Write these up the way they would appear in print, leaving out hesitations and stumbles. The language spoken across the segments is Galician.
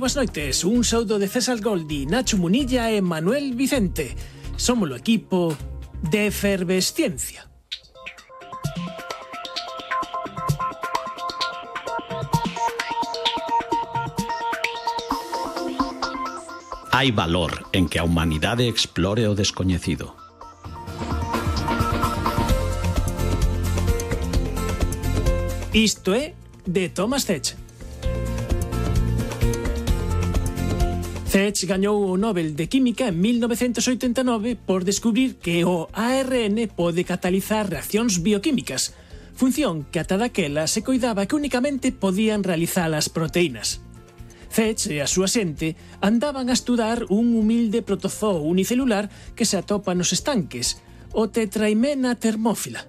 boas noites. Un saúdo de César Goldi, Nacho Munilla e Manuel Vicente. Somos o equipo de Efervesciencia. Hai valor en que a humanidade explore o descoñecido. Isto é de Thomas Zech. Zech gañou o Nobel de Química en 1989 por descubrir que o ARN pode catalizar reaccións bioquímicas, función que ata daquela se coidaba que únicamente podían realizar as proteínas. Zech e a súa xente andaban a estudar un humilde protozoo unicelular que se atopa nos estanques, o Tetraimena termófila.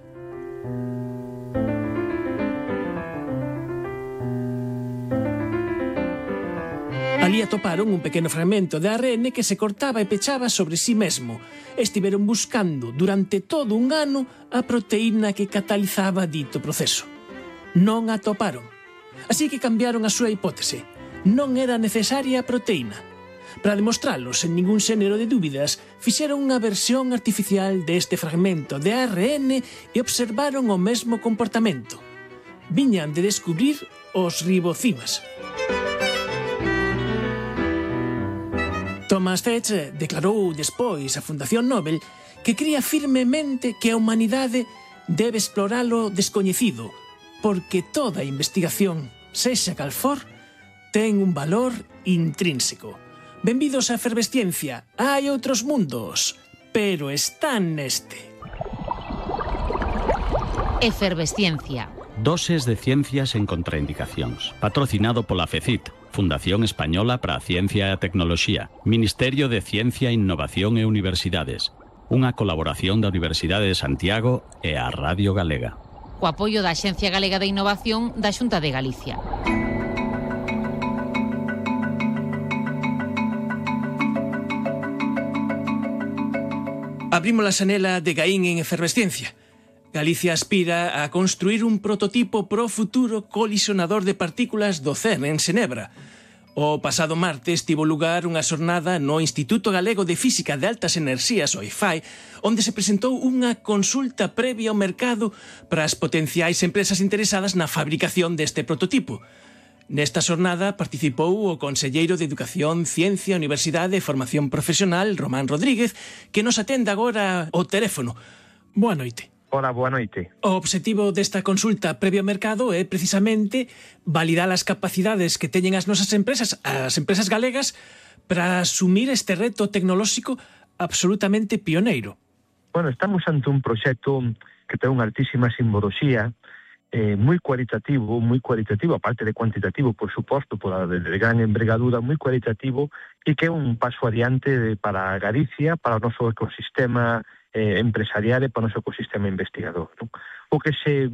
Ali atoparon un pequeno fragmento de ARN que se cortaba e pechaba sobre sí mesmo. Estiveron buscando durante todo un ano a proteína que catalizaba dito proceso. Non a atoparon. Así que cambiaron a súa hipótese. Non era necesaria a proteína. Para demostralo sen ningún xénero de dúbidas, fixeron unha versión artificial deste fragmento de ARN e observaron o mesmo comportamento. Viñan de descubrir os ribocimas. Thomas Zech declarou despois a Fundación Nobel que cría firmemente que a humanidade debe explorar o descoñecido, porque toda investigación, sexa cal for, ten un valor intrínseco. Benvidos a Efervesciencia. Hai outros mundos, pero están neste. Efervesciencia. Doses de ciencias en contraindicacións. Patrocinado pola FECIT, Fundación Española para a Ciencia e a Tecnoloxía, Ministerio de Ciencia, Innovación e Universidades. Unha colaboración da Universidade de Santiago e a Radio Galega. Co apoio da Axencia Galega de Innovación da Xunta de Galicia. Abrimos a xanela de Gaín en Efervesciencia. Galicia aspira a construir un prototipo pro futuro colisionador de partículas do CERN en Xenebra. O pasado martes tivo lugar unha xornada no Instituto Galego de Física de Altas Enerxías, o IFAE, onde se presentou unha consulta previa ao mercado para as potenciais empresas interesadas na fabricación deste prototipo. Nesta xornada participou o conselleiro de Educación, Ciencia, Universidade e Formación Profesional, Román Rodríguez, que nos atende agora ao teléfono. Boa noite. Hola, boa noite. O obxectivo desta consulta previo ao mercado é precisamente validar as capacidades que teñen as nosas empresas, as empresas galegas, para asumir este reto tecnolóxico absolutamente pioneiro. Bueno, estamos ante un proxecto que ten unha altísima simboloxía, moi cualitativo, aparte de cuantitativo, por suposto, por a de gran envergadura, moi cualitativo, e que é un paso adiante para Galicia, para o noso ecosistema empresarial e para o noso ecosistema investigador, non? O que se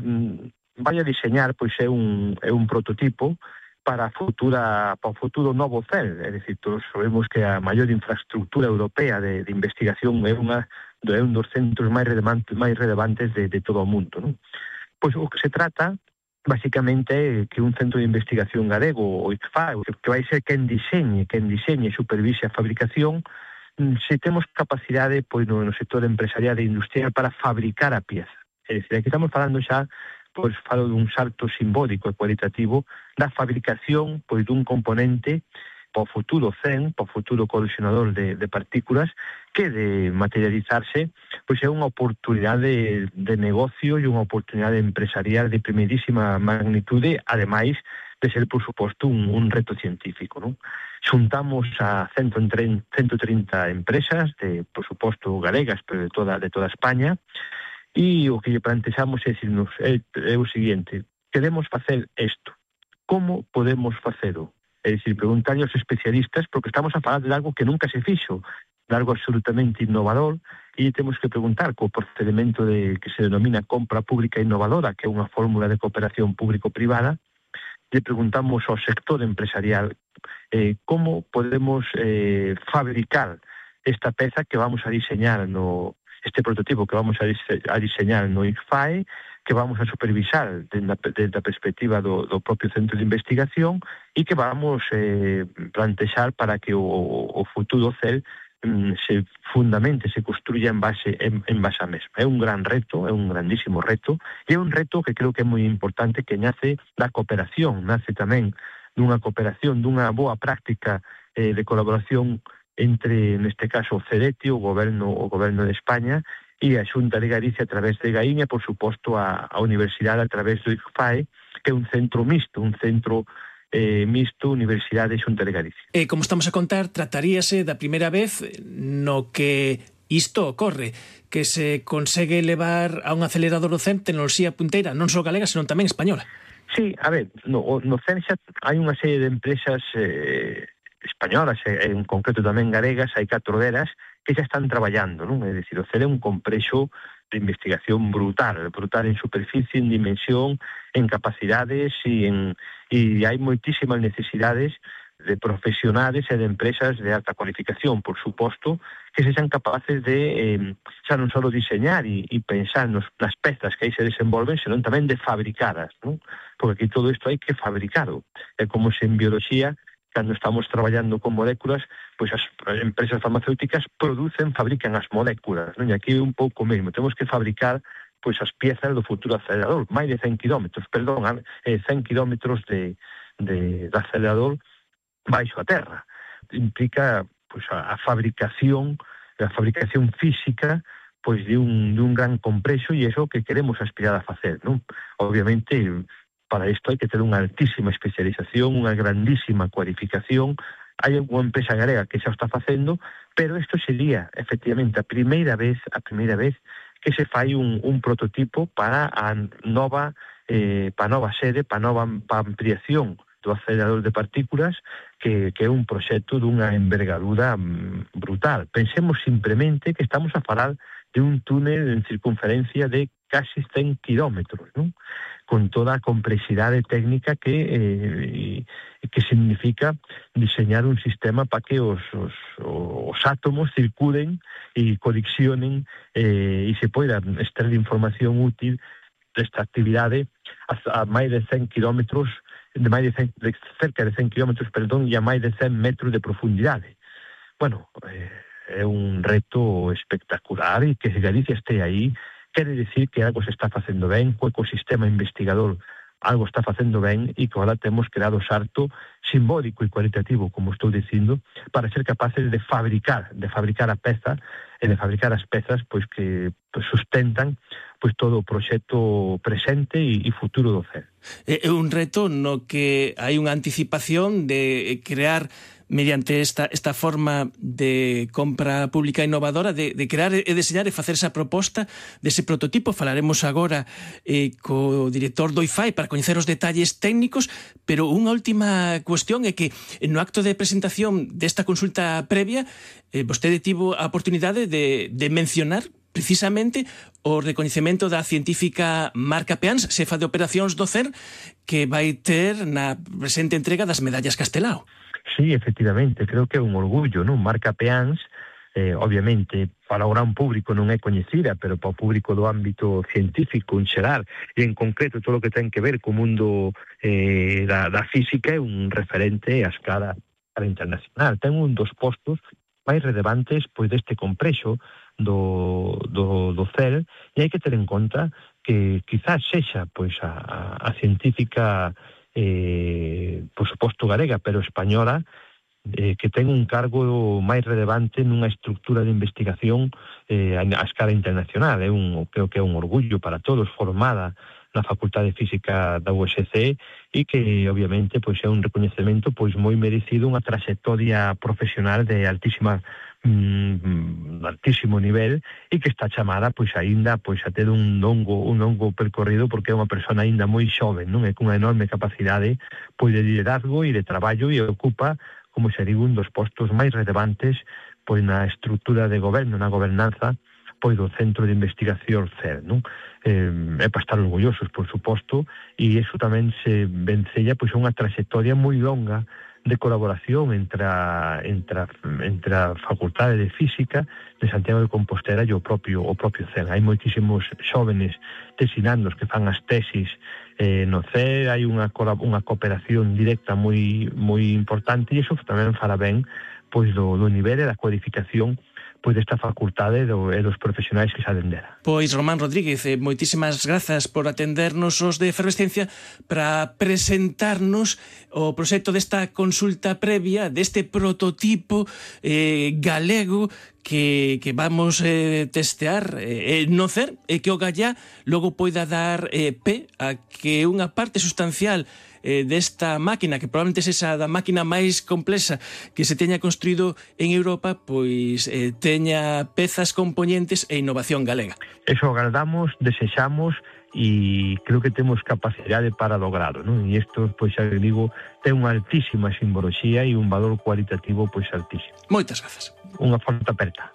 vai a diseñar pois é un prototipo para o futuro novo CERN. É dicir, todos sabemos que a maior infraestructura europea de investigación é un dos centros máis relevantes de todo o mundo, non? Pois o que se trata basicamente é que un centro de investigación galego, o ICFAE, que vai ser quen diseñe e supervise a fabricación, se temos capacidade pois no sector empresarial e industrial para fabricar a pieza. É dicir, aquí estamos falando xa, pois falo dun salto simbólico e cualitativo da fabricación pois dun componente para o futuro CERN, para o futuro colisionador de partículas, que de materializarse pois é unha oportunidade de negocio e unha oportunidade empresarial de primeirísima magnitude, ademais de ser, por suposto, un reto científico, non? Xuntamos a 130 empresas, por suposto, galegas, pero de toda España, e o que lle plantexamos é o seguinte: queremos facer isto. Como podemos facelo? É dicir, preguntar aos especialistas, porque estamos a falar de algo que nunca se fixo, de algo absolutamente innovador, e temos que preguntar co procedimento que se denomina compra pública innovadora, que é unha fórmula de cooperación público-privada. Le preguntamos ao sector empresarial como podemos fabricar esta peza que vamos a diseñar este prototipo que vamos a diseñar no ICFAE, que vamos a supervisar desde a perspectiva do propio centro de investigación e que vamos plantexar para que o futuro CEL se fundamente, se construya en base a mesma. É un gran reto, é un grandísimo reto, e é un reto que creo que é moi importante, que nace da cooperación, nace tamén dunha cooperación, dunha boa práctica de colaboración entre, neste caso, o CEDETI, o Goberno de España, e a Xunta de Galicia a través de GAIN e, por suposto, a Universidade a través do ICFAE, que é un centro mixto, Universidade e Xunta de Galicia. Como estamos a contar, trataríase da primeira vez no que isto ocorre, que se consegue levar a un acelerador do CERN tecnoloxía punteira, non só galega, senón tamén española. Sí, a ver, no CERN xa hai unha serie de empresas españolas, en concreto tamén galegas, hai 4 delas, que xa están traballando, non? É dicir, o CERN é un complexo de investigación brutal en superficie, en dimensión, en capacidades e hai moitísimas necesidades de profesionales e de empresas de alta cualificación, por suposto, que sexan capaces de xa non só diseñar e pensar nas pezas que aí se desenvolven, senón tamén de fabricadas, non? Porque aquí todo isto hai que fabricado. É como se en biología, cando estamos traballando con moléculas, pois as empresas farmacéuticas fabrican as moléculas, non? E aquí é un pouco mesmo, temos que fabricar pois as piezas do futuro acelerador, máis de 100 kilómetros de acelerador baixo a terra. Implica pois a fabricación física pois de un gran complexo, e é o que queremos aspirar a facer, non? Obviamente, para isto hai que ter unha altísima especialización, unha grandísima cualificación. Hai unha empresa galega que xa o está facendo, pero isto sería, efectivamente, a primeira vez que se fai un prototipo para a nova sede, para a nova ampliación do acelerador de partículas, que é un proxecto dunha envergadura brutal. Pensemos simplemente que estamos a falar de un túnel en circunferencia de casi 100 kilómetros, non? Con toda a complexidade técnica que significa diseñar un sistema para que os átomos circulen e colixionen e se poidan extraer información útil desta actividade a máis de 100 kilómetros, cerca de 100 kilómetros, e a máis de 100 metros de profundidade. Bueno, é un reto espectacular, e que Galicia este aí quere dicir que algo se está facendo ben, o ecosistema investigador algo está facendo ben, e que agora temos que dar o salto simbólico e cualitativo, como estou dicindo, para ser capaces de fabricar a peza e de fabricar as pezas pois que sustentan pois todo o proxecto presente e futuro do CERN. É un reto no que hai unha anticipación de crear, mediante esta forma de compra pública innovadora, de crear e deseñar e facer esa proposta dese prototipo. Falaremos agora co director do IFAE para coñecer os detalles técnicos, pero unha última cuestión é que no acto de presentación desta consulta previa vostede tivo a oportunidade de mencionar precisamente o recoñecemento da científica Marca Peáns, xefa de operacións do CERN, que vai ter na presente entrega das medallas Castelao. Sí, efectivamente, creo que é un orgullo, non? Marca Peáns, obviamente, para o gran público non é coñecida, pero para o público do ámbito científico en xeral, e en concreto todo o que ten que ver co mundo da física, é un referente a escala internacional. Ten un dos postos máis relevantes pois deste complexo do CERN, e hai que ter en conta que quizás sexa pois a científica por suposto galega, pero española, que ten un cargo máis relevante nunha estructura de investigación a escala internacional. Creo que é un orgullo para todos, formada na Facultade de Física da USC, e que obviamente pois é un recoñecemento pois moi merecido, unha traxectoria profesional de altísimo nivel, e que está chamada pois aínda pois a ter un longo percorrido, porque é unha persona aínda moi xoven, non? É cunha enorme capacidade pois de liderazgo e de traballo, e ocupa, como se digo, un dos postos máis relevantes pois na estrutura de goberno, na gobernanza pois do Centro de Investigación CERN, non? É para estar orgullosos, por suposto, e iso tamén se vencella pois unha traxectoria moi longa de colaboración entre a Facultade de Física de Santiago de Compostela e o propio CEN. Hai moitísimos xóvenes tesinandos que fan as tesis no CEN, hai unha cooperación directa moi importante, e iso tamén fará ben pois do nivel e da cualificación pois desta facultade e dos profesionais que saben dela. Pois Román Rodríguez, moitísimas grazas por atendernos os de Efervesciencia para presentarnos o proxecto desta consulta previa, deste prototipo galego que vamos testear no CER, e que o Gallá logo poida dar pé a que unha parte sustancial desta máquina, que probablemente sexa da máquina máis complexa que se teña construído en Europa, pois teña pezas componentes e innovación galega. Eso agardamos, desexamos e creo que temos capacidade para lograrlo, non? E isto, pois xa digo, ten unha altísima simboloxía e un valor cualitativo pois altísimo. Moitas grazas. Unha forte aperta.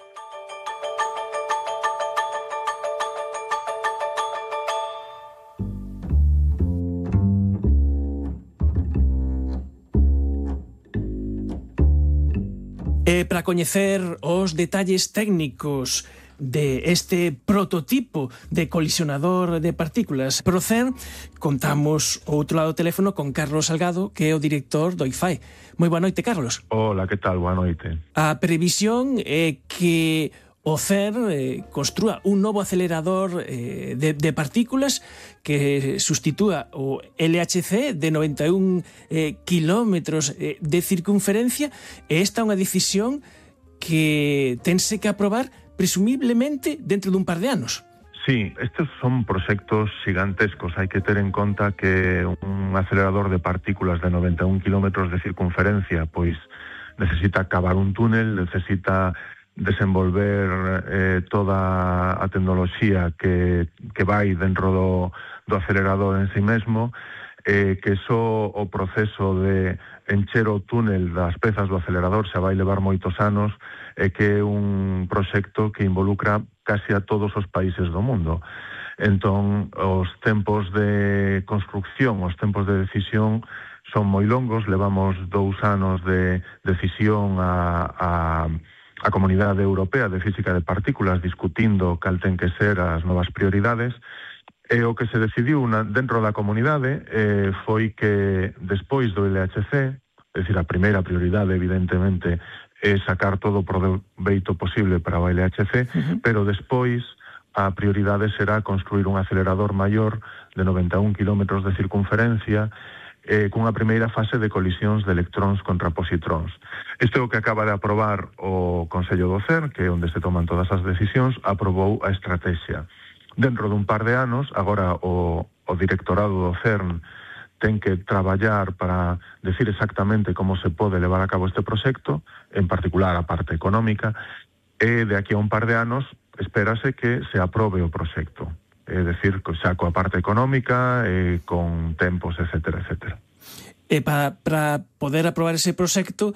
Para coñecer os detalles técnicos de este prototipo de colisionador de partículas pro CERN, contamos ao outro lado do teléfono con Carlos Salgado, que é o director do IFAE. Moi boa noite, Carlos. Hola, que tal? Boa noite. A previsión é que o CERN construa un novo acelerador de partículas que sustitúa o LHC de 91 kilómetros de circunferencia, e esta é unha decisión que tense que aprobar presumiblemente dentro dun par de anos. Sí, estes son proxectos gigantescos. Hai que ter en conta que un acelerador de partículas de 91 kilómetros de circunferencia pois necesita cavar un túnel, necesita desenvolver toda a tecnoloxía que vai dentro do acelerador en si mesmo, que só o proceso de encher o túnel das pezas do acelerador xa vai levar moitos anos, e que é un proxecto que involucra casi a todos os países do mundo. Entón, os tempos de construcción, os tempos de decisión son moi longos. Levamos 2 anos de decisión a Comunidade Europea de Física de Partículas discutindo cal ten que ser as novas prioridades, e o que se decidiu dentro da comunidade foi que despois do LHC, é dicir, a primeira prioridade evidentemente é sacar todo o proveito posible para o LHC, pero despois a prioridade será construir un acelerador maior de 91 kilómetros de circunferencia, cunha primeira fase de colisións de electróns contra positróns. Isto é o que acaba de aprobar o Consello do CERN, que é onde se toman todas as decisións, aprobou a estrategia. Dentro dun par de anos, agora o directorado do CERN ten que traballar para decir exactamente como se pode levar a cabo este proxecto, en particular a parte económica, e de aquí a un par de anos espérase que se aprobe o proxecto. É dicir, xa coa parte económica, con tempos, etcétera, etcétera. E para poder aprobar ese proxecto,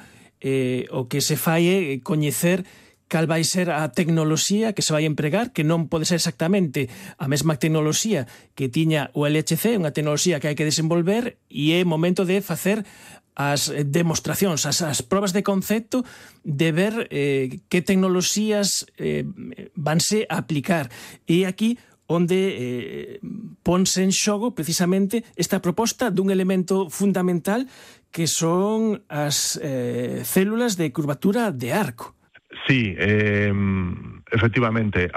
o que se fai é coñecer cal vai ser a tecnoloxía que se vai empregar, que non pode ser exactamente a mesma tecnoloxía que tiña o LHC, unha tecnoloxía que hai que desenvolver, e é momento de facer as demostracións, as probas de concepto, de ver que tecnoloxías vanse a aplicar. E aquí onde ponse en xogo precisamente esta proposta dun elemento fundamental que son as células de curvatura de arco. Sí, efectivamente,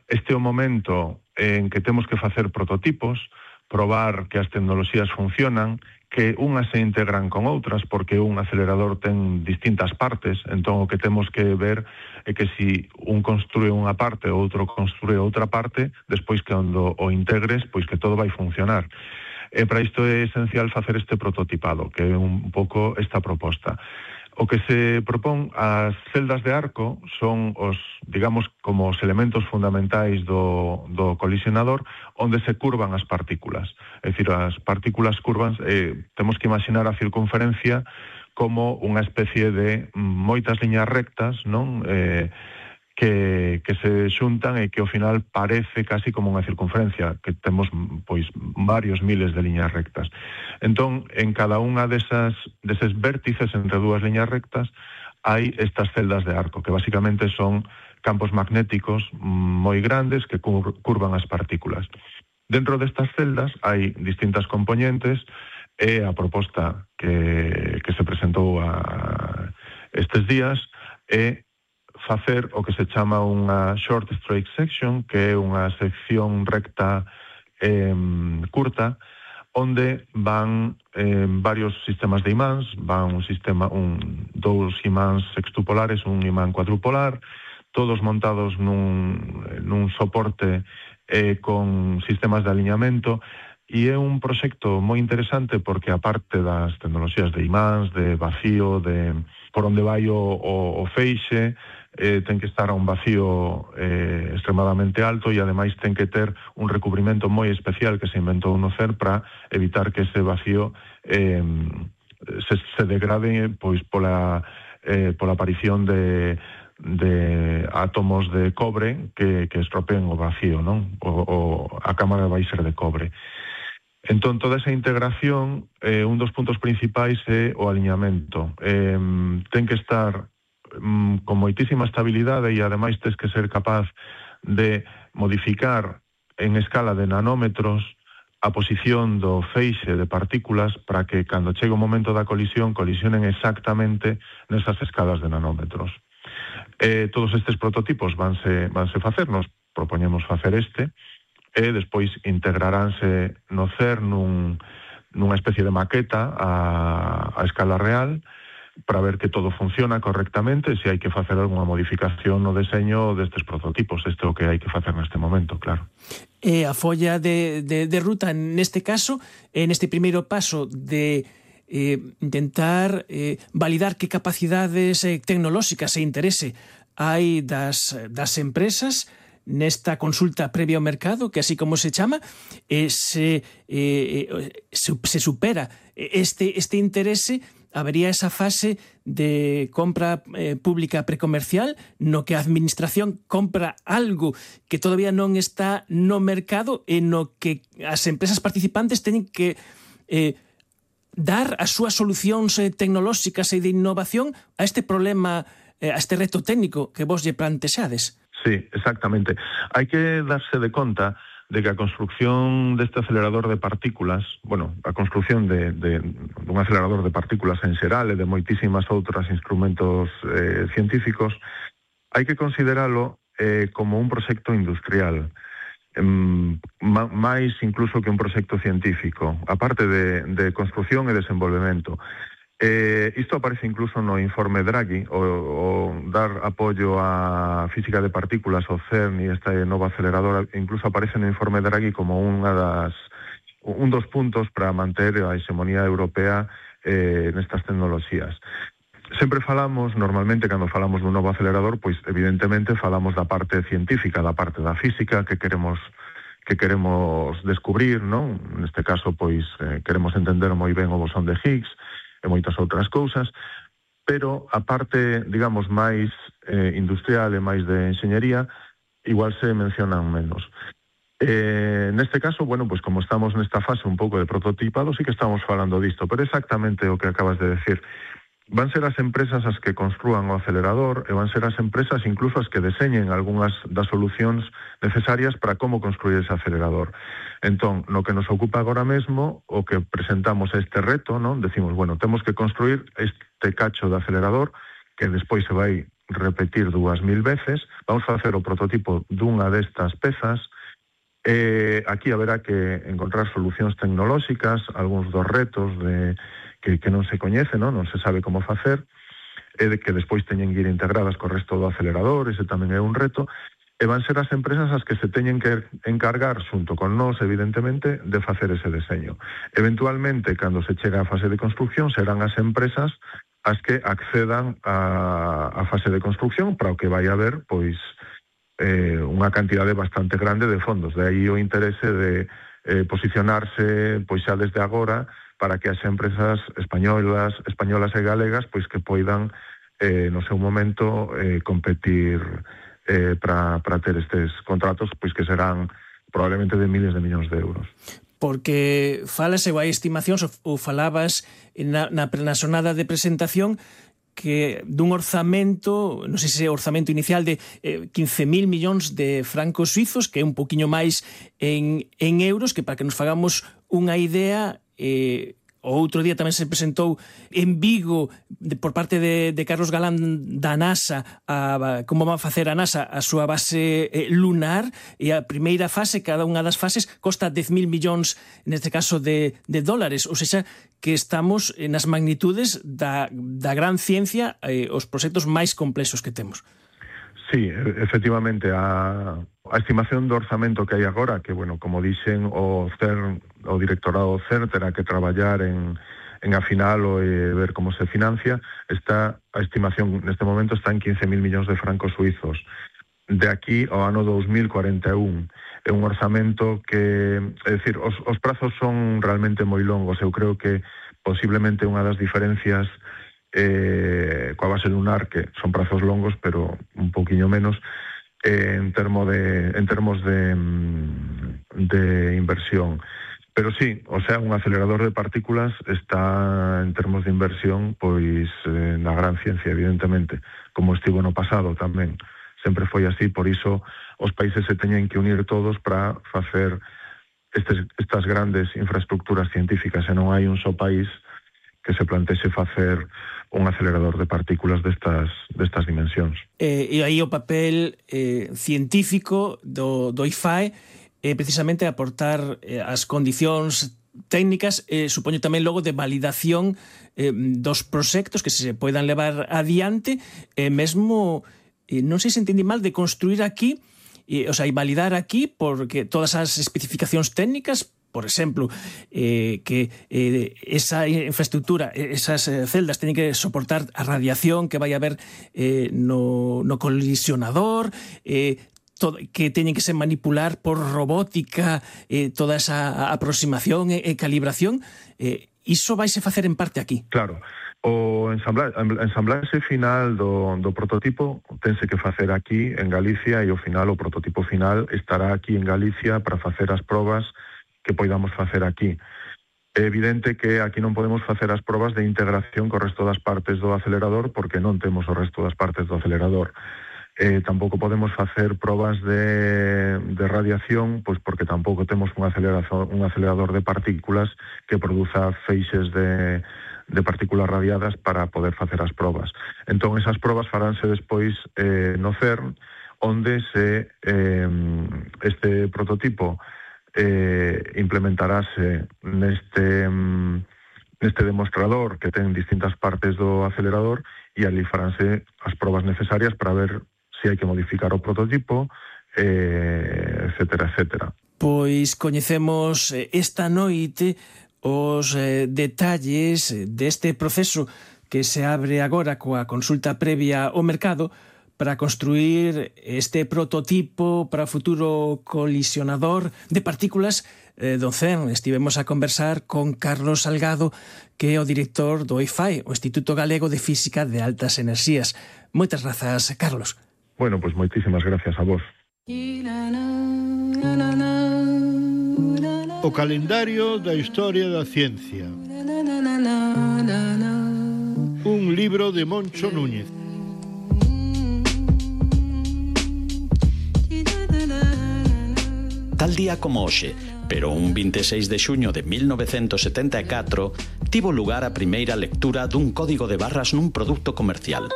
este é o momento en que temos que facer prototipos, probar que as tecnoloxías funcionan, que unhas se integran con outras, porque un acelerador ten distintas partes. Entón o que temos que ver é que se un construe unha parte ou outro construe outra parte, despois que cando o integres, pois que todo vai funcionar. E para isto é esencial facer este prototipado, que é un pouco esta proposta. O que se propón, as celdas de arco son os, digamos, como os elementos fundamentais do colisionador, onde se curvan as partículas. É dicir, as partículas curvas, temos que imaginar a circunferencia como unha especie de moitas liñas rectas, non? que se xuntan e que ao final parece casi como unha circunferencia, que temos pois varios miles de liñas rectas. Entón, en cada unha deses vértices entre dúas liñas rectas hai estas celdas de arco, que basicamente son campos magnéticos moi grandes que curvan as partículas. Dentro destas celdas hai distintas componentes e a proposta que se presentou estes días é facer o que se chama unha short straight section, que é unha sección recta curta, onde van varios sistemas de imáns, van dous imáns sextupolares, un imán cuadrupolar, todos montados nun soporte con sistemas de aliñamento, e é un proxecto moi interesante porque aparte das tecnoloxías de imáns, de vacío, de por onde vai o feixe, ten que estar a un vacío extremadamente alto e ademais ten que ter un recubrimento moi especial que se inventou no CERN para evitar que ese vacío se degrade pois pola aparición de átomos de cobre que estropeen o vacío, non? A cámara vai ser de cobre. Entón, toda esa integración, un dos puntos principais é o aliñamento. Ten que estar con moitísima estabilidade e ademais tens que ser capaz de modificar en escala de nanómetros a posición do feixe de partículas para que cando chegue o momento da colisión colisionen exactamente nesas escalas de nanómetros. Todos estes prototipos vanse facer, nos propoñemos facer e despois integraránse no CERN nunha especie de maqueta a escala real para ver que todo funciona correctamente e se hai que facer algunha modificación no deseño destes prototipos. Isto é o que hai que facer neste momento, claro. E a folla de ruta, neste caso, neste primeiro paso de intentar validar que capacidades tecnolóxicas e interese hai das empresas nesta consulta previa ao mercado, que así como se chama, se supera este interese, habería esa fase de compra pública precomercial no que a administración compra algo que todavía non está no mercado e no que as empresas participantes teñen que dar as súas solucións tecnolóxicas e de innovación a este problema, a este reto técnico que vos lle plantexades. Sí, exactamente. Hai que darse de conta de que a construcción deste acelerador de partículas, a construcción dun acelerador de partículas en xeral e de moitísimas outros instrumentos científicos, hai que consideralo como un proxecto industrial, máis incluso que un proxecto científico, aparte de construcción e desenvolvemento. Isto aparece incluso no informe Draghi, o dar apoio á física de partículas, o CERN e este novo acelerador, incluso aparece no informe Draghi como un dos puntos para manter a hexemonía europea nestas tecnoloxías. Sempre falamos, normalmente, cando falamos dun novo acelerador, pois evidentemente falamos da parte científica, da parte da física que queremos descubrir, non? Neste caso, pois, queremos entender moi ben o bosón de Higgs, e moitas outras cousas, pero a parte, digamos, máis industrial e máis de enxeñería, igual se mencionan menos. Neste caso, pois como estamos nesta fase un pouco de prototipado, sí que estamos falando disto, pero exactamente o que acabas de decir. Van ser as empresas as que construan o acelerador e van ser as empresas incluso as que deseñen algunhas das solucións necesarias para como construir ese acelerador. Entón, no que nos ocupa agora mesmo, o que presentamos este reto, non? Decimos, temos que construir este cacho de acelerador que despois se vai repetir 2000 veces, vamos a facer o prototipo dunha destas pezas. Aquí haberá que encontrar solucións tecnolóxicas, algúns dos retos que non se coñece, non se sabe como facer, e de que despois teñen que ir integradas co resto do acelerador, ese tamén é un reto, e van ser as empresas as que se teñen que encargar, xunto con nós, evidentemente, de facer ese deseño. Eventualmente, cando se chega á fase de construcción, serán as empresas as que accedan á fase de construcción, para o que vai haber, pois, unha cantidade bastante grande de fondos. De aí o interese de posicionarse, pois xa desde agora, para que as empresas españolas e galegas pois que poidan no seu momento competir para ter estes contratos, pois que serán probablemente de miles de millóns de euros. Porque falase ou hai estimacións ou falabas na xornada de presentación que dun orzamento, non sei se é orzamento inicial de 15.000 millóns de francos suizos, que é un poquinho máis en euros, que para que nos fagamos unha idea, o outro día tamén se presentou en Vigo por parte de Carlos Galán da NASA como va a facer a NASA a súa base lunar, e a primeira fase, cada unha das fases costa 10.000 millóns neste caso de dólares, ou seja, que estamos nas magnitudes da gran ciencia, os proxectos máis complexos que temos. Sí, efectivamente, a estimación do orzamento que hai agora, que, bueno, como dixen, o CERN, o directorado CERN terá que traballar en afinar e ver como se financia. A estimación neste momento está en 15.000 millóns de francos suizos. De aquí ao ano 2041 é un orzamento que, é dicir, os prazos son realmente moi longos. Eu creo que posiblemente unha das diferencias coa base lunar, que son prazos longos, pero un poquinho menos, en termos de inversión. Pero sí, o sea, un acelerador de partículas está en termos de inversión pois na gran ciencia, evidentemente, como estivo no pasado tamén. Sempre foi así, por iso os países se teñen que unir todos para facer estas grandes infraestructuras científicas, e non hai un só país que se plantexe facer un acelerador de partículas destas dimensións. E aí o papel científico do IFAE é precisamente aportar as condicións técnicas, supoño tamén logo de validación dos proxectos que se poidan levar adiante, mesmo, non sei se entendí mal, de construir aquí, o sea, e validar aquí, porque todas as especificacións técnicas, por exemplo, que esa infraestructura, esas celdas teñen que soportar a radiación que vai haber no colisionador, que teñen que se manipular por robótica, toda esa aproximación e calibración, iso vaise facer en parte aquí. Claro. O ensamblaxe final do prototipo tense que facer aquí en Galicia, e o prototipo final estará aquí en Galicia para facer as probas que poidamos facer aquí. É evidente que aquí non podemos facer as probas de integración co resto das partes do acelerador, porque non temos o resto das partes do acelerador. Tampouco podemos facer probas de radiación, pois porque tampouco temos un acelerador de partículas que produza feixes de partículas radiadas para poder facer as probas. Entón, esas probas faránse despois no CERN, onde este prototipo implementarase neste demostrador que ten distintas partes do acelerador, e ali faránse as probas necesarias para ver se hai que modificar o prototipo, etcétera, etcétera. Pois coñecemos esta noite os detalles deste proceso que se abre agora coa consulta previa ao mercado para construir este prototipo para o futuro colisionador de partículas do CERN. Estivemos a conversar con Carlos Salgado, que é o director do IFAE, o Instituto Galego de Física de Altas Enerxías. Moitas grazas, Carlos. Bueno, pois moitísimas gracias a vos. O calendario da historia da ciencia. Un libro de Moncho Núñez. Tal día como hoxe, pero un 26 de xuño de 1974, tivo lugar a primeira lectura dun código de barras nun produto comercial.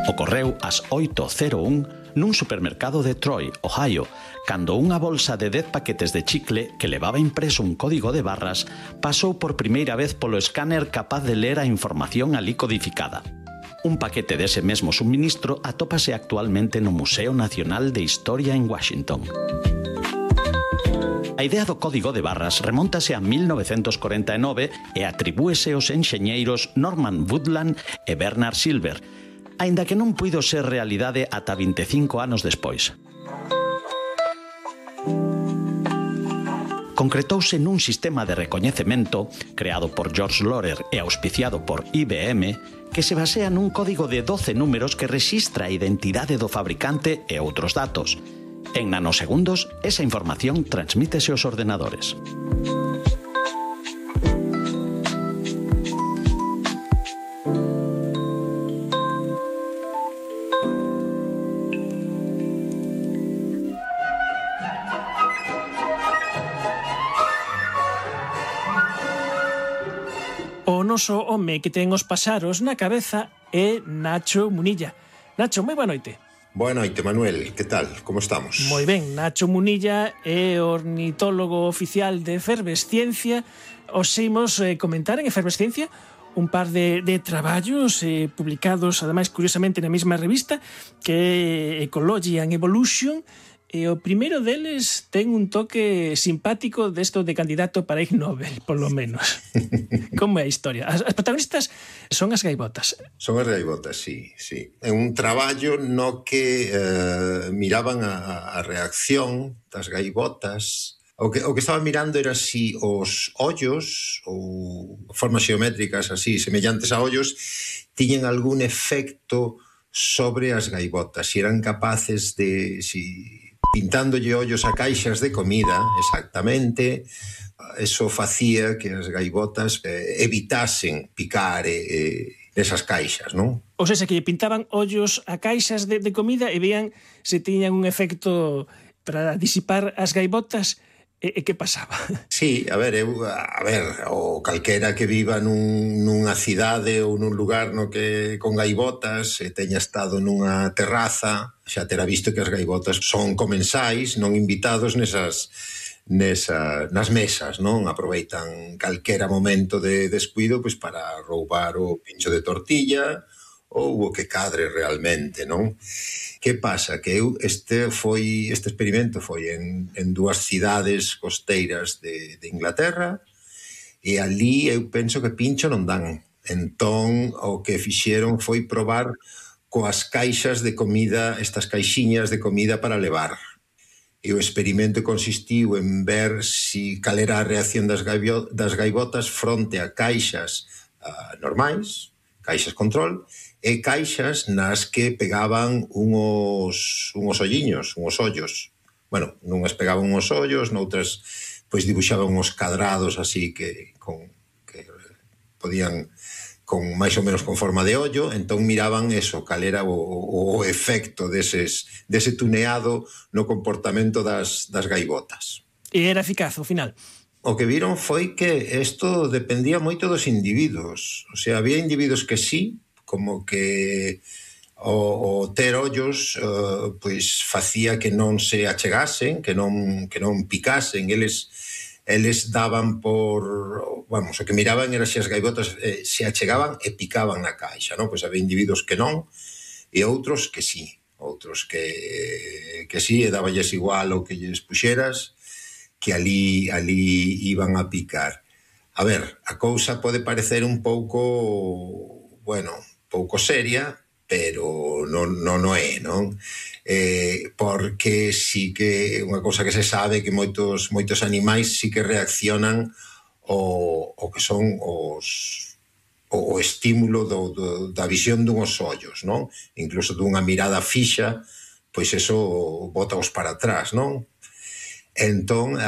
Ocorreu ás 8:01 nun supermercado de Troy, Ohio, cando unha bolsa de 10 paquetes de chicle que levaba impreso un código de barras pasou por primeira vez polo escáner capaz de ler a información alí codificada. Un paquete dese mesmo suministro atópase actualmente no Museo Nacional de Historia en Washington. A idea do código de barras remóntase a 1949 e atribúese aos enxeñeiros Norman Woodland e Bernard Silver, aínda que non puido ser realidade ata 25 anos despois. concretouse nun sistema de recoñecemento creado por George Lorer e auspiciado por IBM que se basea nun código de 12 números que rexistra a identidade do fabricante e outros datos. En nanosegundos, esa información transmítese aos ordenadores. O noso home que ten os paxaros na cabeza é Nacho Munilla. Nacho, moi boa noite. Boa noite, Manuel. Que tal? Como estamos? Moi ben, Nacho Munilla é ornitólogo oficial de Efervesciencia. Os imos comentar en Efervesciencia un par de traballos publicados, ademais, curiosamente, na mesma revista, que é Ecology and Evolution. E o primeiro deles ten un toque simpático desto de candidato para Ig Nobel, polo menos. Como é a historia? As protagonistas son as gaivotas. Son as gaivotas, sí. É un traballo no que miraban a reacción das gaivotas. O que estaba mirando era si os ollos ou formas xeométricas así semellantes a ollos tiñen algún efecto sobre as gaivotas, si eran capaces de... pintándolle ollos a caixas de comida, exactamente, eso facía que as gaivotas evitasen picar nesas caixas, non? Ou seja, que pintaban ollos a caixas de comida e veían se tiñan un efecto para disipar as gaivotas. E que pasaba? Sí, a ver, o calquera que viva nunha cidade ou nun lugar no que con gaivotas e teña estado nunha terraza, xa terá visto que as gaivotas son comensais, non invitados nas mesas, non? Aproveitan calquera momento de descuido pois para roubar o pincho de tortilla ou o que cadre realmente, non? Que pasa? Que este experimento foi en dúas cidades costeiras de Inglaterra e ali eu penso que pincho non dan. Entón, o que fixeron foi probar coas caixas de comida, estas caixiñas de comida para levar. E o experimento consistiu en ver cal era a reacción das gaivotas fronte a caixas normais, caixas control, e caixas nas que pegaban unhos olliños, unhos ollos. Bueno, nunhas pegaban unhos ollos, noutras pois dibuixaban uns cadrados así que podían con máis ou menos con forma de ollo, entón miraban eso, cal era o efecto dese tuneado no comportamento das gaivotas. E era eficaz, ao final? O que viron foi que isto dependía moito dos individuos. O sea, había individuos que sí, como que o ter ollos pois facía que non se achegasen, que non picasen. Eles daban por... Vamos, o que miraban era se as gaivotas se achegaban e picaban na caixa, non? Pois había individuos que non e outros que sí. Outros que sí, e daballes igual o que lles puxeras, que ali iban a picar. A ver, a cousa pode parecer un pouco, pouco seria, pero non é, non? Porque sí que unha cousa que se sabe que moitos animais sí que reaccionan o que son o estímulo da visión dunhos ollos, non? Incluso dunha mirada fixa, pois eso botaos para atrás, non? Entón,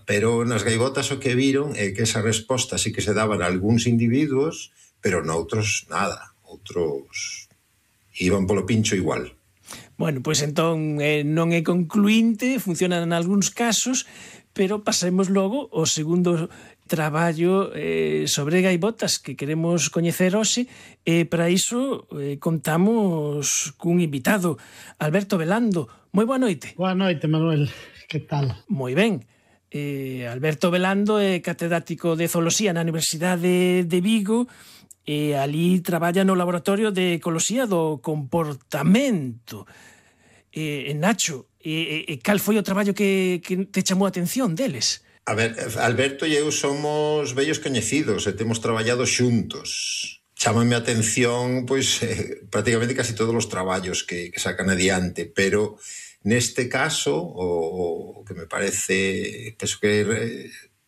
pero nas gaivotas o que viron é que esa resposta sí que se daban a algúns individuos, pero noutros nada. Outros iban polo pincho igual. Bueno, pois entón non é concluinte, funcionan en algúns casos, pero pasemos logo ao segundo traballo sobre gaivotas que queremos coñecer hoxe, e para iso contamos cun invitado, Alberto Velando. Moi boa noite. Boa noite, Manuel. Que tal? Moi ben. Alberto Velando é catedrático de zooloxía na Universidade de Vigo e ali traballa no laboratorio de ecoloxía do comportamento. Nacho, cal foi o traballo que te chamou a atención deles? A ver, Alberto e eu somos vellos coñecidos e temos traballado xuntos. Chámame a atención, pois, prácticamente casi todos os traballos que sacan adiante, pero Neste caso, o que me parece, penso que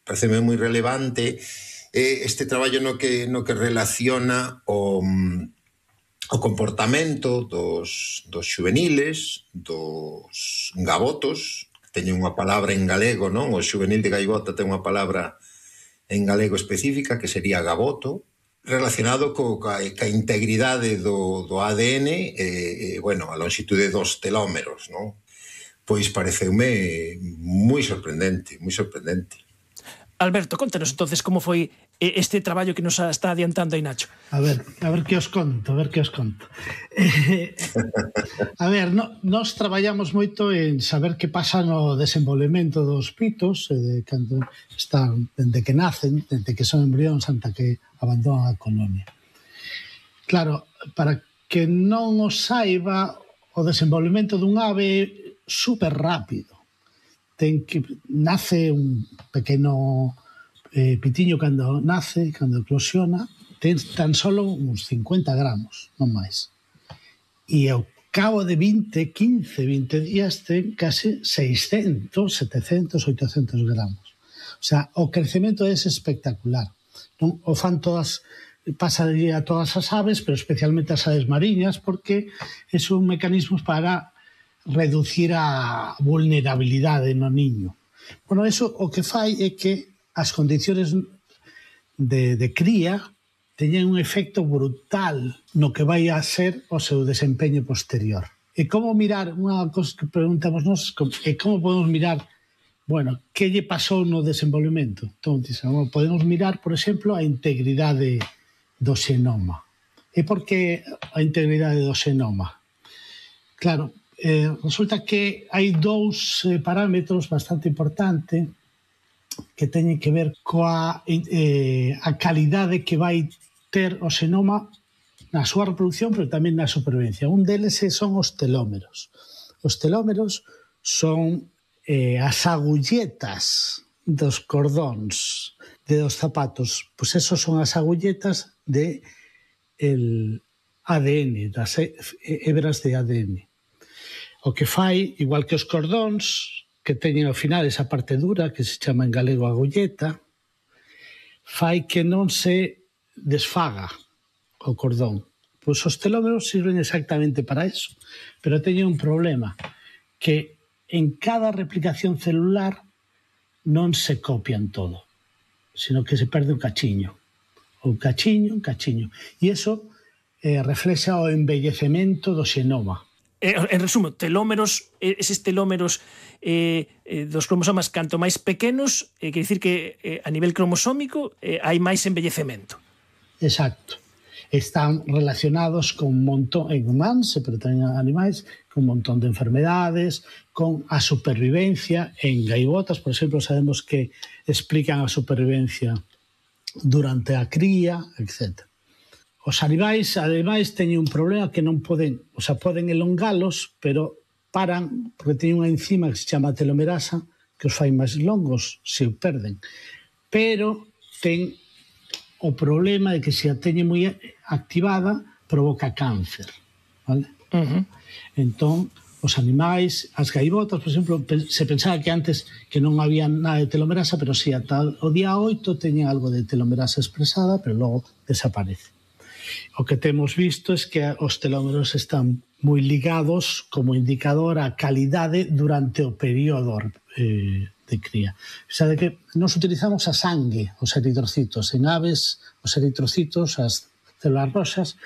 pareceme moi relevante, este traballo no que relaciona o comportamento dos xuveniles, dos gabotos, que teñen unha palabra en galego, non? O xuvenil de gaivota ten unha palabra en galego específica, que sería gaboto, relacionado ca integridade do ADN, bueno, a longitude dos telómeros, non? Pois pareceume moi sorprendente, moi sorprendente. Alberto, contanos entonces como foi este traballo que nos está adiantando aí Nacho. A ver que os conto, A ver, nós traballamos moito en saber que pasa no desenvolvemento dos pitos, cando están, dende que nacen, dende que son embrións ata que abandonan a colonia. Claro, para que non os saiba, o desenvolvemento dun ave super rápido. Nace un pequeno pitiño cando nace, cando eclosiona, ten tan solo uns 50 gramos, non máis. E ao cabo de 20 días ten case 600, 700, 800 gramos. O sea, o crecemento é espectacular. Non? O fan todas, pasaría a todas as aves, pero especialmente as aves mariñas, porque son mecanismos para reducir a vulnerabilidade no niño. Bueno, eso o que fai é que as condiciones de cría teñen un efecto brutal no que vai a ser o seu desempeño posterior. E como mirar, unha cosa que preguntamos nós, é como podemos mirar, bueno, que lle pasou no desenvolvemento? Entón, podemos mirar, por exemplo, a integridade do xenoma. E por que a integridade do xenoma? Claro, resulta que hai dous parámetros bastante importantes que teñen que ver coa a calidade que vai ter o xenoma na súa reproducción, pero tamén na supervivencia. Un deles son os telómeros. Os telómeros son as agulletas dos cordóns dos zapatos. Pois esos son as agulletas de ADN, das hebras de ADN. O que fai, igual que os cordóns, que teñen ao final esa parte dura, que se chama en galego agulleta, fai que non se desfaga o cordón. Pois os telómeros sirven exactamente para eso, pero teñen un problema, que en cada replicación celular non se copian todo, sino que se perde un cachiño. Un cachiño. E iso reflexa o envellecemento do xenoma. En resumo, telómeros, eses telómeros dos cromosomas canto máis pequenos, quer dicir que a nivel cromosómico hai máis envellecemento. Exacto. Están relacionados con un montón, en humanos, pero tamén en animais, con un montón de enfermedades, con a supervivencia. En gaivotas, por exemplo, sabemos que explican a supervivencia durante a cría, etc. Os animais, ademais, teñen un problema que non poden, o sea, poden elongalos, pero paran, porque teñen unha enzima que se chama telomerasa, que os fai máis longos, se o perden. Pero ten o problema de que se a teñe moi activada, provoca cáncer. Vale? Entón, os animais, as gaivotas, por exemplo, se pensaba que antes que non había nada de telomerasa, pero si ata o día 8 teñen algo de telomerasa expresada, pero logo desaparece. O que temos visto é que os telómeros están moi ligados como indicador á calidade durante o período de cría. Sabe que nós utilizamos a sangue, os eritrocitos. En aves, os eritrocitos, as células roxas,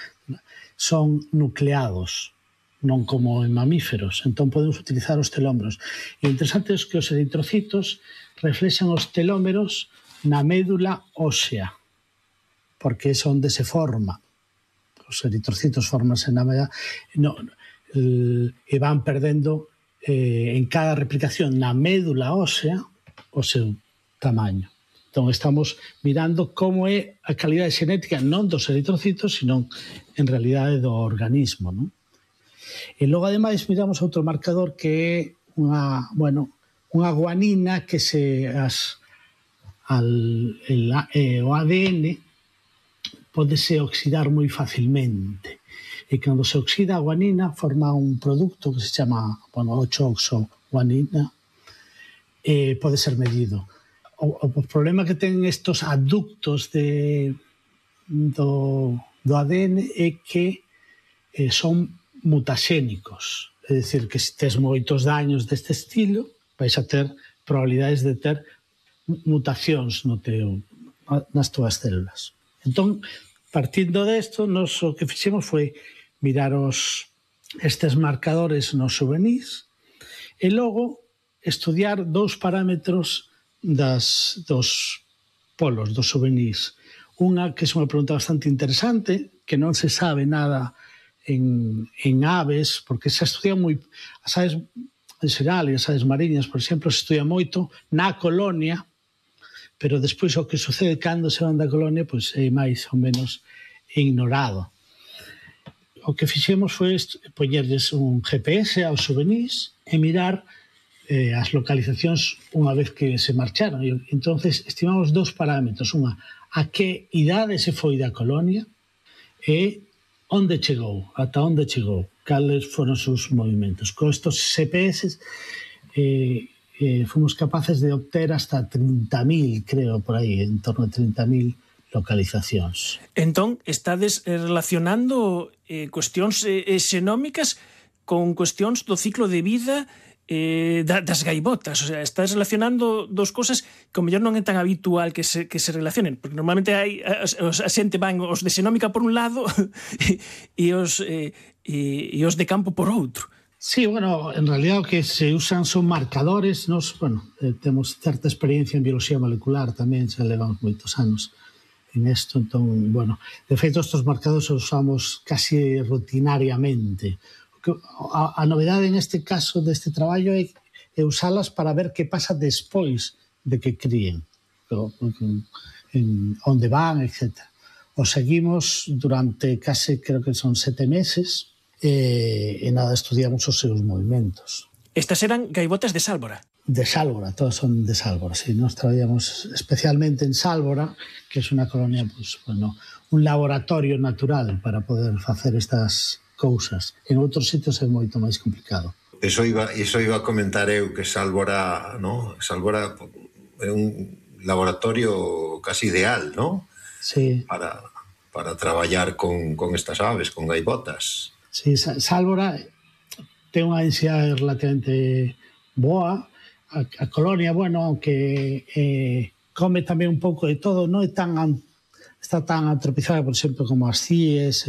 son nucleados, non como en mamíferos. Entón podemos utilizar os telómeros. E o interesante é que os eritrocitos reflexan os telómeros na médula ósea, porque é onde se forma. Os eritrocitos formanse na médula e van perdendo en cada replicación na médula ósea o seu tamaño. Entón estamos mirando como é a calidade xenética non dos eritrocitos, sino en realidade do organismo, non? E logo ademais miramos outro marcador que é unha guanina que o ADN pódese oxidar moi facilmente. E cando se oxida a guanina forma un produto que se chama 8-oxo-guanina, pode ser medido. O problema que ten estos aductos do ADN é que son mutaxénicos. É dicir, que se tes moitos daños deste estilo, vais a ter probabilidades de ter mutacións nas túas células. Entón, partindo desto, nos o que fixemos foi mirar estes marcadores nos juvenis e logo estudiar dous parámetros dos polos, dos juvenis. Unha que é unha pregunta bastante interesante, que non se sabe nada en aves, porque se estudia moi... As aves en xeral, e as aves mariñas, por exemplo, se estudia moito na colonia, pero despois o que sucede cando se van da colonia pois é máis ou menos ignorado. O que fixemos foi poñerles un GPS aos juvenis e mirar as localizacións unha vez que se marcharon. E entonces estimamos dous parámetros. Unha, a que idade se foi da colonia e onde chegou, ata onde chegou, cales foron os seus movimentos. Con estos GPS fomos capaces de obter hasta 30.000, creo, por aí, en torno a 30.000 localizacións. Entón, estades relacionando cuestións xenómicas con cuestións do ciclo de vida das gaivotas, o sea, estás relacionando dos cosas que ao mellor non é tan habitual que se relacionen, porque normalmente a xente van os de xenómica por un lado e os de campo por outro. Sí, bueno, en realidad o que se usan son marcadores. Nos, temos certa experiencia en biología molecular tamén, xa levamos moitos anos en isto, entón, de feito, estes marcadores os usamos casi rutinariamente. A novedade neste caso deste traballo é usalas para ver que pasa despois de que críen, onde van, etc. O seguimos durante case, creo que son 7 meses, e nada, estudiamos os seus movimentos. Estas eran gaivotas de Sálvora? De Sálvora, todas son de Sálvora, sí. Nos traballamos especialmente en Sálvora, que é unha colonia, un laboratorio natural para poder facer estas cousas. En outros sitios é moito máis complicado. Iso iba a comentar eu, que Sálvora, ¿no? Sálvora é un laboratorio casi ideal, ¿no? Sí. Para traballar con estas aves, con gaivotas. Sí, Sálvora ten unha densidade relativamente boa. A colonia, aunque come tamén un pouco de todo, non é está tan atropizada, por exemplo, como as cíes,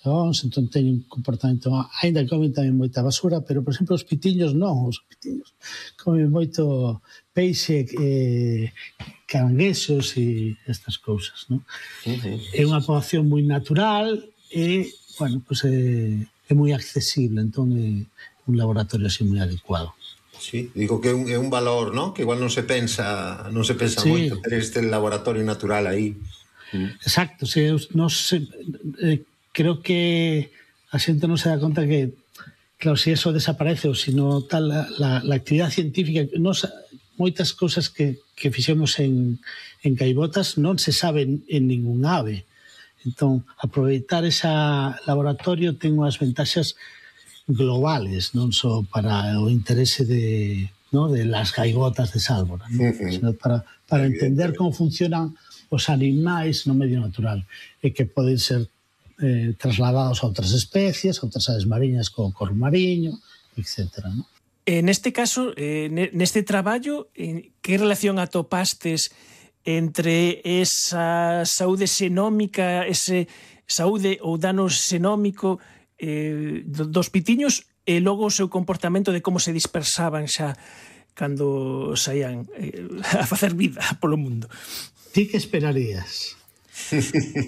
entón teñen un comportamento, ainda comen tamén moita basura, pero, por exemplo, os pitiños non, os pitiños comen moito peixe, caranguexos e estas cousas, non? É unha poboación moi natural e, é moi accesible, entón é un laboratorio así moi adecuado. Sí, digo que é un valor, ¿no? Que igual non se pensa sí. Moito ter este laboratorio natural aí. Exacto, sí, creo que a xente non se dá conta que, claro, se eso desaparece ou se non tal la actividade científica, moitas cousas que fixemos en gaivotas non se saben en ningún ave. Entón, aproveitar ese laboratorio ten unhas ventaxas globales, non só para o interese de las gaivotas de Sálvora, sino para entender como funcionan os animais no medio natural e que poden ser trasladados a outras especies, a outras aves mariñas como o corvo mariño, etc. Neste caso, neste traballo, que relación atopastes entre esa saúde xenómica, ese saúde ou dano xenómico dos pitiños e logo o seu comportamento de como se dispersaban xa cando saían a facer vida polo mundo? Ti que esperarías?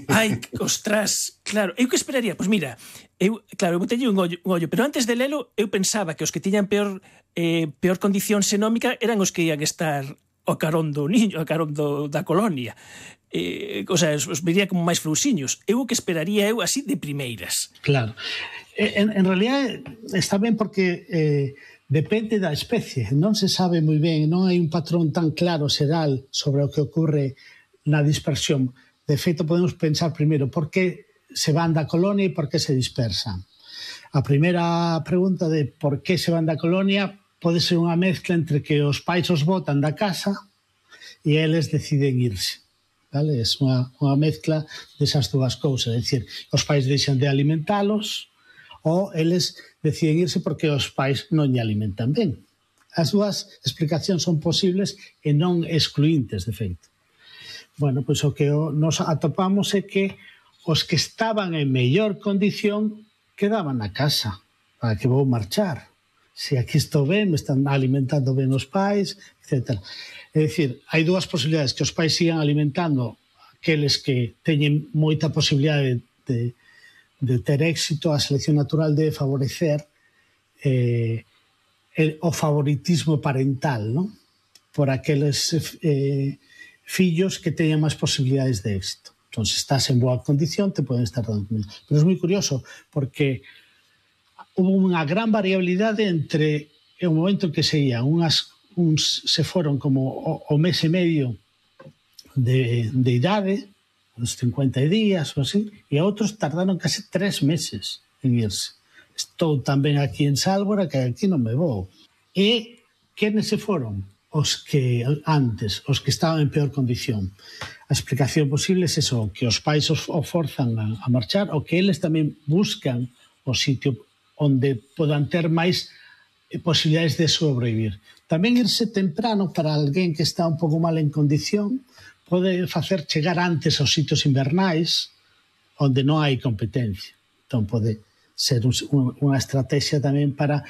Ai, ostras, claro, eu que esperaría? Pois mira, eu botelle un ollo, pero antes de lelo eu pensaba que os que tiñan peor condición xenómica eran os que ian estar ao carón do niño, ao carón da colonia. O sea, os vería como máis frouxiños. Eu o que esperaría así de primeiras. Claro. En realidad está ben porque depende da especie. Non se sabe moi ben, non hai un patrón tan claro xeral sobre o que ocorre na dispersión. De feito, podemos pensar primeiro por que se van da colonia e por que se dispersan. A primeira pregunta de por que se van da colonia pode ser unha mezcla entre que os pais os botan da casa e eles deciden irse. Vale? É unha mezcla desas dúas cousas. É dicir, os pais deixan de alimentalos ou eles deciden irse porque os pais non lle alimentan ben. As dúas explicacións son posibles e non excluíntes, de feito. Bueno, pois o que nos atopamos é que os que estaban en mellor condición quedaban na casa. Para que vou marchar? Se aquí estou ben, me están alimentando ben os pais, etc. É dicir, hai dúas posibilidades, que os pais sigan alimentando aqueles que teñen moita posibilidade de ter éxito, a selección natural debe favorecer o favoritismo parental, non? Por aqueles fillos que teñan máis posibilidades de éxito. Entón, se estás en boa condición, te poden estar dando comida. Pero é moi curioso, porque hubo unha gran variabilidade entre o momento en que se ian. Uns se foron como o mes e medio de idade, uns 50 días ou así, e outros tardaron case 3 meses en irse. Estou tamén aquí en Sálvora, que aquí non me vou. E quenes se foron? Os que antes, os que estaban en peor condición. A explicación posible é eso, que os pais os forzan a marchar, ou que eles tamén buscan o sitio onde podan ter máis posibilidades de sobrevivir. Tamén irse temprano para alguén que está un pouco mal en condición pode facer chegar antes aos sitios invernais onde non hai competencia. Entón pode ser unha estrategia tamén para...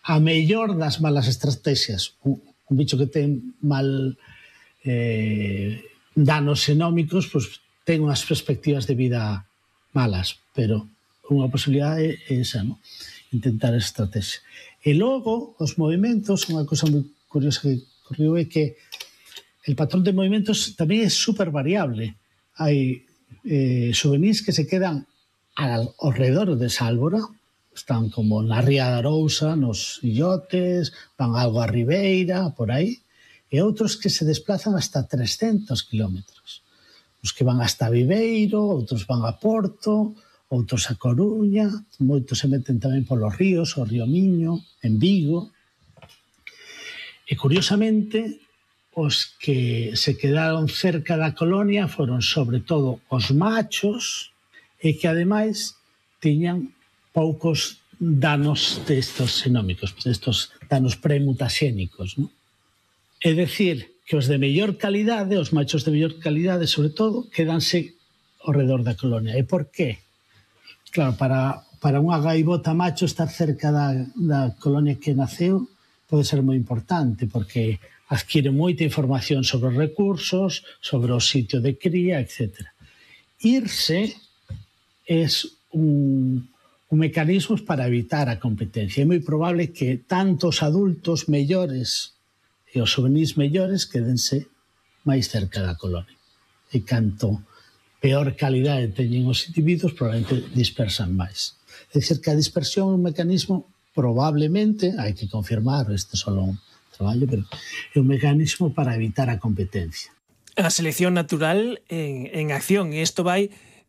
a mellor das malas estrategias. Un bicho que ten mal danos xenómicos, pois ten unhas perspectivas de vida malas, pero unha posibilidade é esa, non? Intentar esa estrategia. E logo, os movimentos, unha cosa moi curiosa que ocorreu é que el patrón de movimentos tamén é super variable. Hai xuvenís que se quedan ao redor de Sálvora, están como na Ría de Arousa, nos illotes, van algo a Ribeira, por aí, e outros que se desplazan hasta 300 kilómetros. Os que van hasta Viveiro, outros van a Porto, outros a Coruña, moitos se meten tamén polos ríos, o río Miño, en Vigo. E, curiosamente, os que se quedaron cerca da colonia foron, sobre todo, os machos, e que, ademais, tiñan poucos danos destos xenómicos, destos danos premutaxénicos, non? É dicir, que os de mellor calidade, os machos de mellor calidade, sobre todo, quedanse ao redor da colonia. E por qué? Claro, para unha gaivota macho estar cerca da colonia que naceu pode ser moi importante, porque adquire moita información sobre os recursos, sobre o sitio de cría, etc. Irse é un mecanismos para evitar a competencia. É moi probable que tanto os adultos mellores e os juvenís mellores quedense máis cerca da colonia. E canto peor calidade teñen os individuos, probablemente dispersan máis. É dicir, que a dispersión é un mecanismo, probablemente, hai que confirmar, este só un traballo, pero é un mecanismo para evitar a competencia. A selección natural en acción, e isto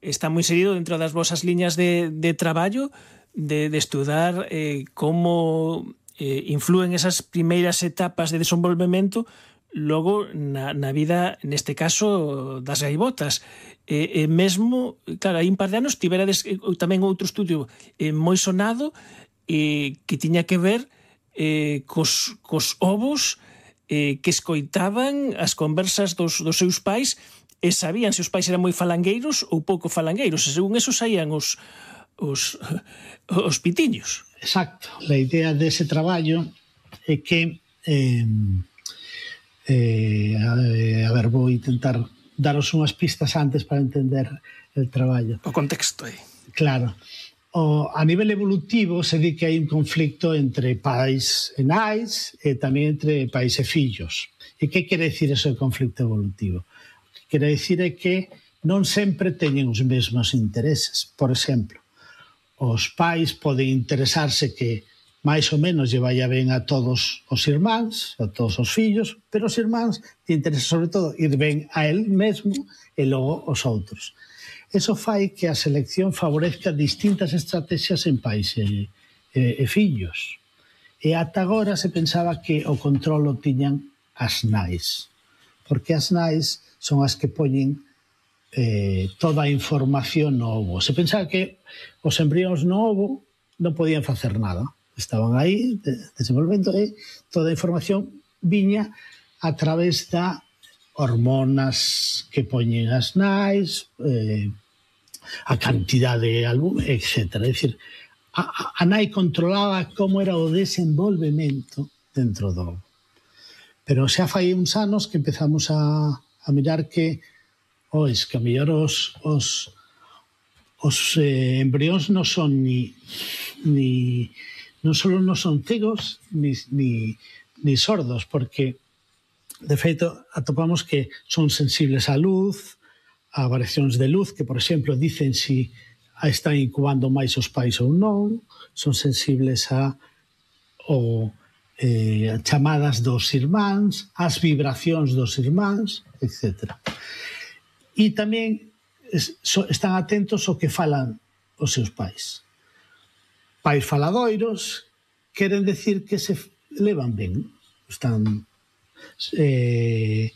está moi seguido dentro das vosas liñas de traballo, de estudar como influen esas primeiras etapas de desenvolvemento logo na vida, neste caso, das gaivotas. Mesmo, claro, hai un par de anos tiverades tamén outro estudio moi sonado que tiña que ver cos ovos que escoitaban as conversas dos seus pais e sabían se os pais eran moi falangueiros ou pouco falangueiros, e según eso saían os pitiños. Exacto. A idea dese traballo é que a ver, vou intentar daros unhas pistas antes para entender el traballo. O contexto aí. Claro. A nivel evolutivo se di que hai un conflicto entre pais e nais e tamén entre pais e fillos. E que quere dicir eso de conflicto evolutivo? O que quere dicir é que non sempre teñen os mesmos intereses. Por exemplo, os pais poden interesarse que máis ou menos lle vai a ben a todos os irmáns, a todos os fillos, pero os irmáns lle interesa sobre todo ir ben a él mesmo e logo os outros. Eso fai que a selección favorezca distintas estrategias en pais e fillos. E ata agora se pensaba que o control o tiñan as nais, porque as nais son as que poñen toda a información no ovo. Se pensaba que os embrións no ovo non podían facer nada. Estaban aí desenvolvendo e toda a información viña a través da hormonas que poñen as nais, a cantidade de albume, etc. É dicir, a nai controlaba como era o desenvolvemento dentro do ovo. Pero xa fai uns anos que empezamos a mirar que a mellor os embrións non son non só non son cegos ni sordos, porque de feito atopamos que son sensibles á luz, a variacións de luz, que por exemplo dicen si están incubando máis os pais ou non, son sensibles a chamadas dos irmáns, as vibracións dos irmáns, etc. E tamén están atentos ao que falan os seus pais. Pais faladoiros queren decir que se levan ben. Están, se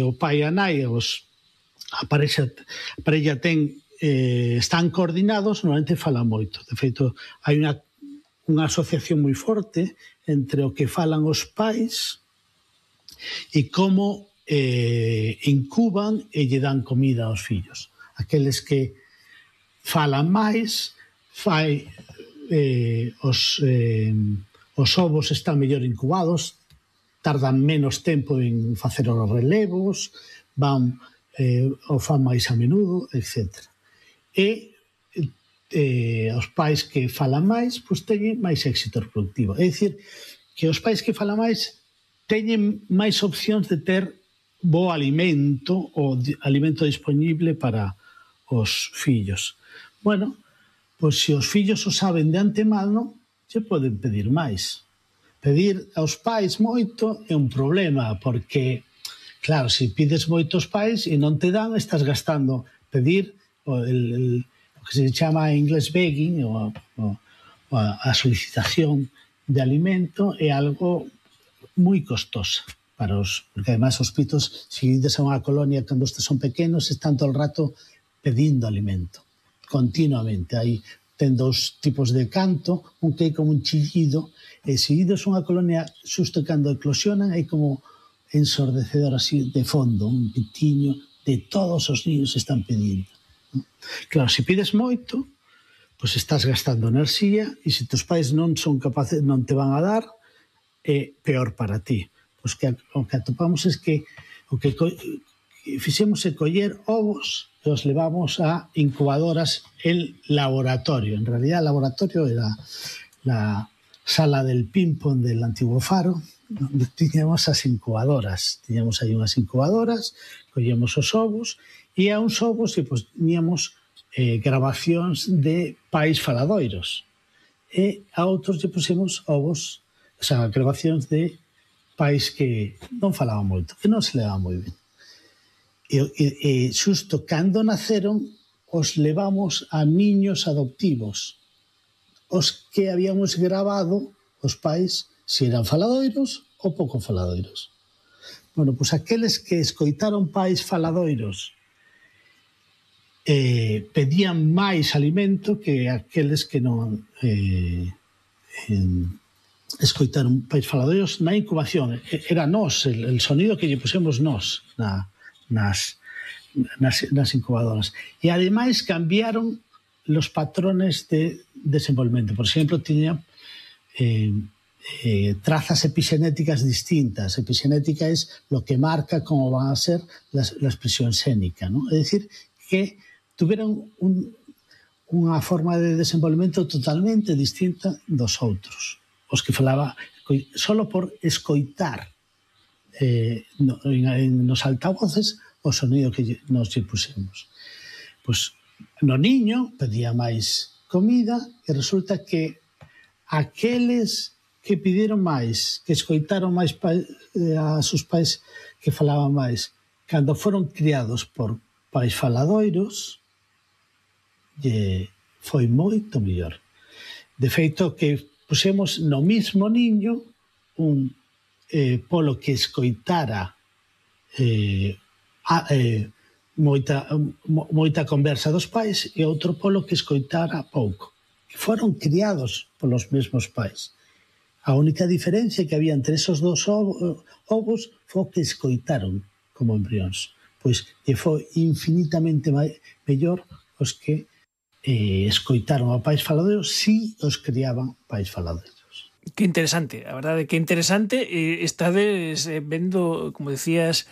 o pai e a nai, a parella ten, están coordinados, normalmente falan moito. De feito, hai unha asociación moi forte entre o que falan os pais e como incuban e lle dan comida aos fillos. Aqueles que falan máis, os ovos están mellor incubados, tardan menos tempo en facer os relevos, o fan máis a menudo, etc. E os pais que falan máis, pois teñen máis éxito reproductivo. É dicir, que os pais que falan máis teñen máis opcións de ter bo alimento ou alimento disponible para os fillos. Bueno, pois se os fillos o saben de antemano, se poden pedir máis. Pedir aos pais moito é un problema, porque, claro, se pides moitos pais e non te dan, estás gastando. Pedir o que se chama en inglés begging, a solicitación de alimento, é algo moi costosa para porque además os pitos, se ides a unha colonia cando estes son pequenos, están todo o rato pedindo alimento, continuamente. Ten dous tipos de canto, un que é como un chillido, e se ides a unha colonia xusto cando eclosionan, é como ensordecedor así de fondo, un pitiño de todos os niños están pedindo. Claro, se pides moito, pois estás gastando enerxía, e se tus pais non son capaces, non te van a dar, é peor para ti. Pois o que atopamos é que o que fixemos é coller ovos e os levamos a incubadoras en laboratorio. En realidad, el laboratorio era la sala del ping-pong del antiguo faro, onde tiñamos as incubadoras. Tiñamos aí unhas incubadoras, collemos os ovos, e a uns ovos e poñíamos grabacións de pais faladoiros. E a outros lle pusemos ovos, grabacións de pais que non falaban moito, que non se levaban moi ben. E xusto cando naceron, os levamos a niños adoptivos, os que habíamos grabado os pais se eran faladoiros ou pouco faladoiros. Bueno, pois aqueles que escoitaron pais faladoiros pedían máis alimento que aqueles que non escoitaron pais faladoiros na incubación. Era nós, el sonido que lle pusemos nós nas incubadoras. E ademais cambiaron los patrones de desenvolvemento. Por exemplo, tiña trazas epigenéticas distintas. Epigenética es lo que marca cómo van a ser la expresión xénica, ¿no? É dicir, que tuveron unha forma de desenvolvemento totalmente distinta dos outros. Os que falaba solo por escoitar nos altavoces o sonido que nos lle pusemos. Pois no niño pedía máis comida e resulta que aqueles que pediron máis, que escoitaron máis a seus pais que falaban máis, cando foron criados por pais faladoiros, foi moito mellor. De feito, que pusemos no mismo niño un polo que escoitara moita conversa dos pais e outro polo que escoitara pouco. Que foron criados polos mesmos pais. A única diferencia que había entre esos dos ovos foi que escoitaron como embrións. Pois que foi infinitamente mellor os que escoitaron a pais faladoiros si os criaban pais faladoiros. Que interesante, a verdade que interesante. Estades vendo, como decías,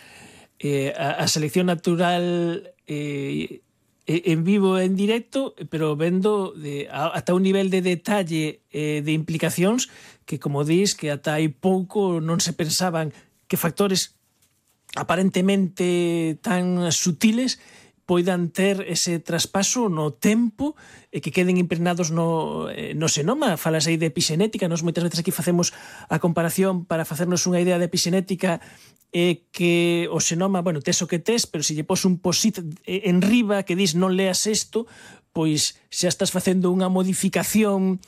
a selección natural en vivo e en directo, pero vendo ata un nivel de detalle de implicacións que, como dis, que ata hai pouco non se pensaban que factores aparentemente tan sutiles poidan ter ese traspaso no tempo e que queden impregnados no xenoma. Falas aí de epixenética, nós moitas veces aquí facemos a comparación para facernos unha idea de epixenética que o xenoma, bueno, tes o que tes, pero se lle pos un posit en riba que dis non leas isto, pois xa estás facendo unha modificación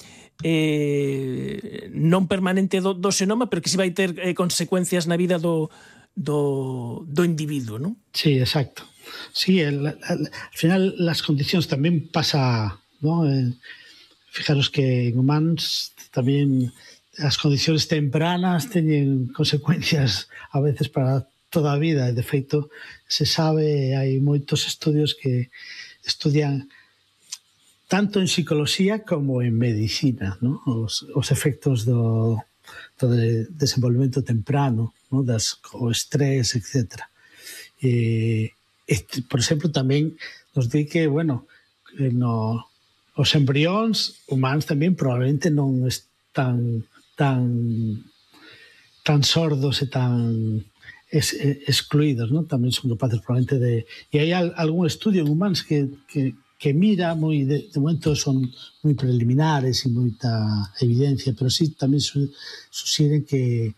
non permanente do xenoma, pero que si vai ter consecuencias na vida do individuo, non? Sí, exacto. Sí, al final las condicións tamén pasa, ¿no? Fijaros que en humanos tamén as condicións tempranas teñen consecuencias a veces para toda a vida, e de feito se sabe, hai moitos estudios que estudian tanto en psicología como en medicina, ¿no? Os efectos do desenvolvemento temprano, ¿no? O estrés, etc. Por exemplo, tamén nos di que, bueno, os embrións humanos tamén probablemente non están tan sordos e tan excluídos, ¿no? Tamén son capaces probablemente de... E hai algún estudio en humanos que mira moi... De momento son moi preliminares e moita evidencia, pero sí tamén suxiren que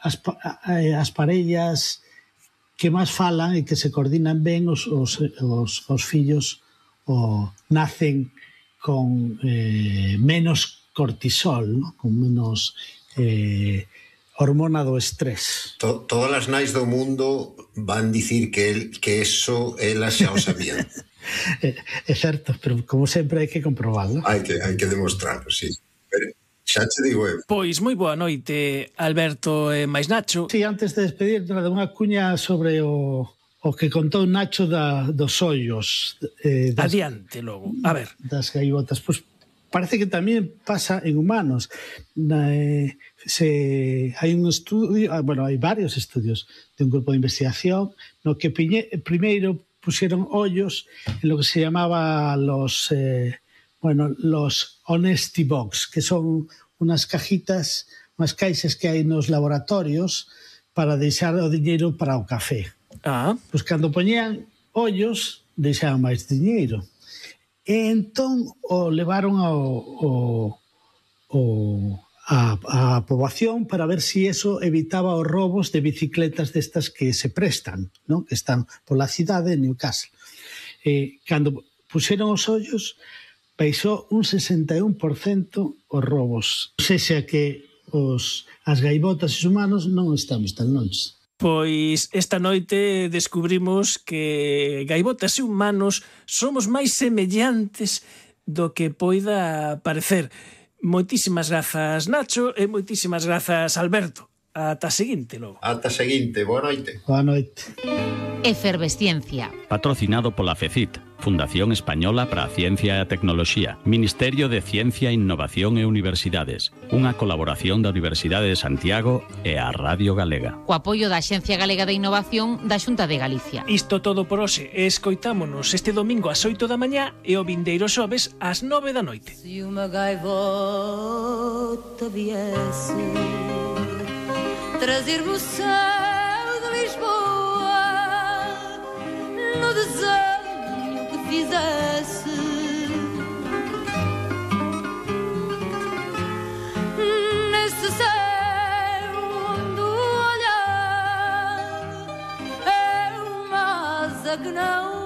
as parellas que máis falan e que se coordinan ben os fillos nacen con menos cortisol, ¿no? Con menos hormona do estrés. Todas as nais do mundo van dicir que eso elas xa o sabían. É certo, pero como sempre hai que comprobarlo. Hai que demostrarlo, sí. Pero xa te digo eu. Pois moi boa noite, Alberto e máis Nacho. Sí, antes de despedir, unha cuña sobre o que contou Nacho dos ollos. Adiante logo, a ver. Das gaivotas. Pois parece que tamén pasa en humanos. Hai un estudio, bueno, hai varios estudios de un grupo de investigación no que primeiro pusieron ollos en lo que se llamaba los honesty box, que son unas cajitas, unas caixas que hai nos laboratorios para deixar o diñeiro para o café. Pois cando poñían ollos, deixaban máis diñeiro. E entón o levaron a poboación para ver si eso evitaba os robos de bicicletas destas que se prestan, ¿no? Que están pola cidade de Newcastle. Cando puxeron os ollos, baixou un 61% os robos. O sea que as gaivotas e os humanos non estamos tan longe. Pois esta noite descubrimos que gaivotas e humanos somos máis semellantes do que poida parecer. Moitísimas grazas, Nacho, e moitísimas grazas, Alberto. Ata a seguinte, logo. Ata a seguinte, boa noite. Boa noite. Efervesciencia. Patrocinado pola FECIT, Fundación Española para a Ciencia e a Tecnoloxía, Ministerio de Ciencia, Innovación e Universidades, unha colaboración da Universidade de Santiago e a Radio Galega. Co apoio da Axencia Galega de Innovación da Xunta de Galicia. Isto todo por hoxe. Escoitámonos este domingo ás 8 da mañá e o vindeiro xoves ás 9 da noite. Se unha gaivota viesse trazer-me o céu de Lisboa no desenho que fizesse, que não